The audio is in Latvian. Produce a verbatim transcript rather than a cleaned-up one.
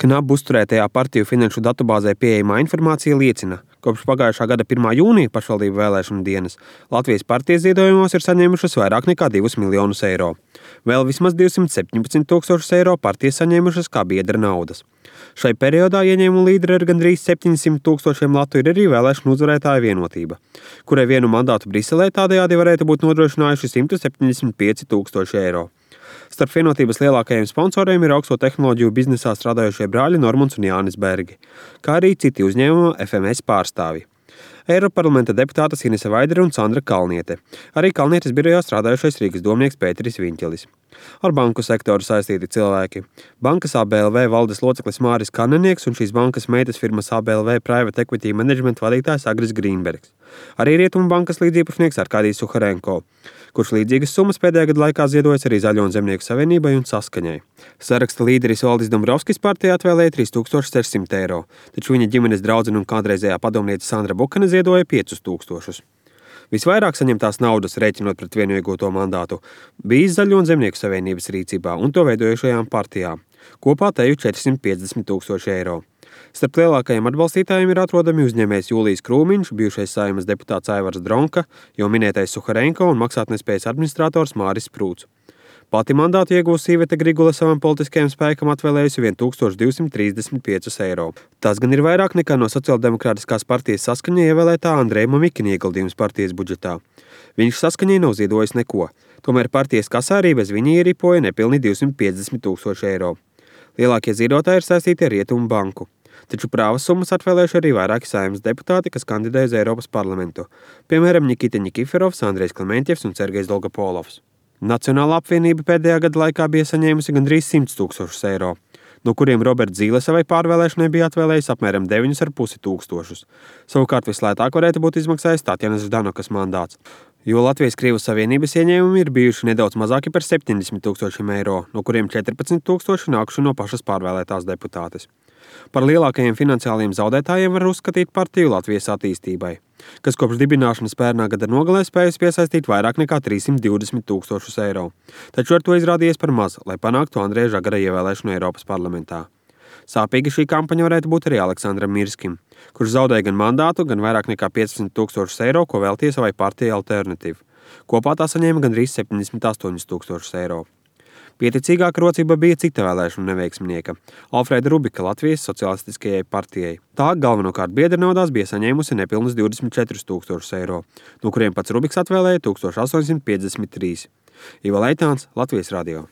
Knabu uzturētajā partiju finanšu datubāzē pieejamā informācija liecina, kopš pagājušā gada pirmā jūnija pašvaldību vēlēšanu dienas Latvijas partijas ziedojumos ir saņēmušas vairāk nekā divus miljonus eiro. Vēl vismaz divsimt septiņpadsmit tūkstošus eiro partijas saņēmušas kā biedra naudas. Šai periodā ieņēmumu līderi ar gandrīz septiņsimt tūkstošiem latu ir arī vēlēšanu uzvarētāja Vienotība, kurai vienu mandātu Briselē tādējādi varētu būt nodrošinājuši simt septiņdesmit pieci tūkstoši eiro. Starp Vienotības lielākajiem sponsoriem ir augsto tehnoloģiju biznesā strādājošie brāļi Normunds un Jānis Bergi, kā arī citi uzņēmuma F M S pārstāvji. Eiroparlamenta deputātas Inese Vaidere un Sandra Kalniete, arī Kalnietes birojā strādājošais Rīgas domnieks Pēteris Viņķelis. Ar banku sektoru saistīti cilvēki. Bankas A B L V valdes loceklis Māris Kanenieks un šīs bankas meitas firmas A B L V Private Equity Management vadītājs Agris Grīnbergs. Arī Rietumu bankas līdziepašnieks Arkādijs Suharenko, kurš līdzīgas summas pēdējā gada laikā ziedojas arī Zaļo un Zemnieku savienībai un Saskaņai. Saraksta līderis Valdis Dombrovskis partijai atvēlēja trīs tūkstoši sešsimt eiro, taču viņa ģimenes draudzene un kādreizējā padomniece Sandra Bukane ziedoja piecus tūkstošus. Visvairāk saņemtās naudas, rēķinot pret vienu iegūto mandātu, bijis Zaļo un Zemnieku savienības rīcībā un to veidojušajām partijām. Kopā teju četrsimt piecdesmit tūkstoši eiro. Starp lielākajiem atbalstītājiem ir atrodami uzņēmējs Jūlijs Krūmiņš, bijušais Saeimas deputāts Aivars Dronka, jau minētais Suharenko un maksātnespējas administrators Māris Sprūts. Pati mandātu iegūs Iveta Grigule savam politiskajam spēkam atvēlējusi tūkstoš divsimt trīsdesmit piecus eiro. Tas gan ir vairāk nekā no Sociāldemokrātiskās partijas Saskaņa ievēlētā Andreja Mamikina ieguldījums partijas budžetā. Viņš Saskaņai nav ziedojis neko, tomēr partijas kasā arī bez viņa ieripoja nepilni divsimt piecdesmit tūkstoši eiro. Lielākie ziedotāji ir saistīti ar Rietumu banku. Taču prāvas summas atvēlējuši arī vairāki Saeimas deputāti, kas kandidē uz Eiropas parlamentu, piemēram, Nikita Nikiforovs, Andrejs Klementjevs un Sergejs Dolgopolovs. Nacionālā apvienība pēdējā gada laikā bija saņēmusi gandrīz simt tūkstošus eiro, no kuriem Roberts Zīle savai pārvēlēšanai bija atvēlējis apmēram deviņus ar pusi tūkstošus. Savukārt vislētāk varētu būt izmaksājis Tatjanas Ždanokas mandāts, jo Latvijas-Krievijas savienības ieņēmumi ir bijuši nedaudz mazāki par septiņdesmit tūkstošiem eiro, no kuriem četrpadsmit tūkstoši nākuši no pašas pārvēlētās deputātes. Par lielākajiem finansiāliem zaudētājiem var uzskatīt partiju Latvijas attīstībai, kas kopš dibināšanas pērnā gada nogalē spējas piesaistīt vairāk nekā trīssimt divdesmit tūkstošus eiro. Taču ar to izrādījies par maz, lai panāktu Andreja Žagara ievēlēšanu Eiropas parlamentā. Sāpīga šī kampaņa varētu būt arī Aleksandram Mirskim, kurš zaudēja gan mandātu, gan vairāk nekā piecdesmit tūkstošus eiro, ko veltīja savai partijai Alternatīva. Kopā tā saņēma gandrīz septiņdesmit astoņus tūkstošus eiro. Pieticīgāka rocība bija cita vēlēšanu neveiksminieka – Alfrēda Rubika Latvijas Socialistiskajai partijai. Tā galvenokārt biedra naudās bija saņēmusi nepilnus divdesmit četrus tūkstošus eiro, no kuriem pats Rubiks atvēlēja tūkstoš astoņsimt piecdesmit trīs. Iva Leitāns, Latvijas radio.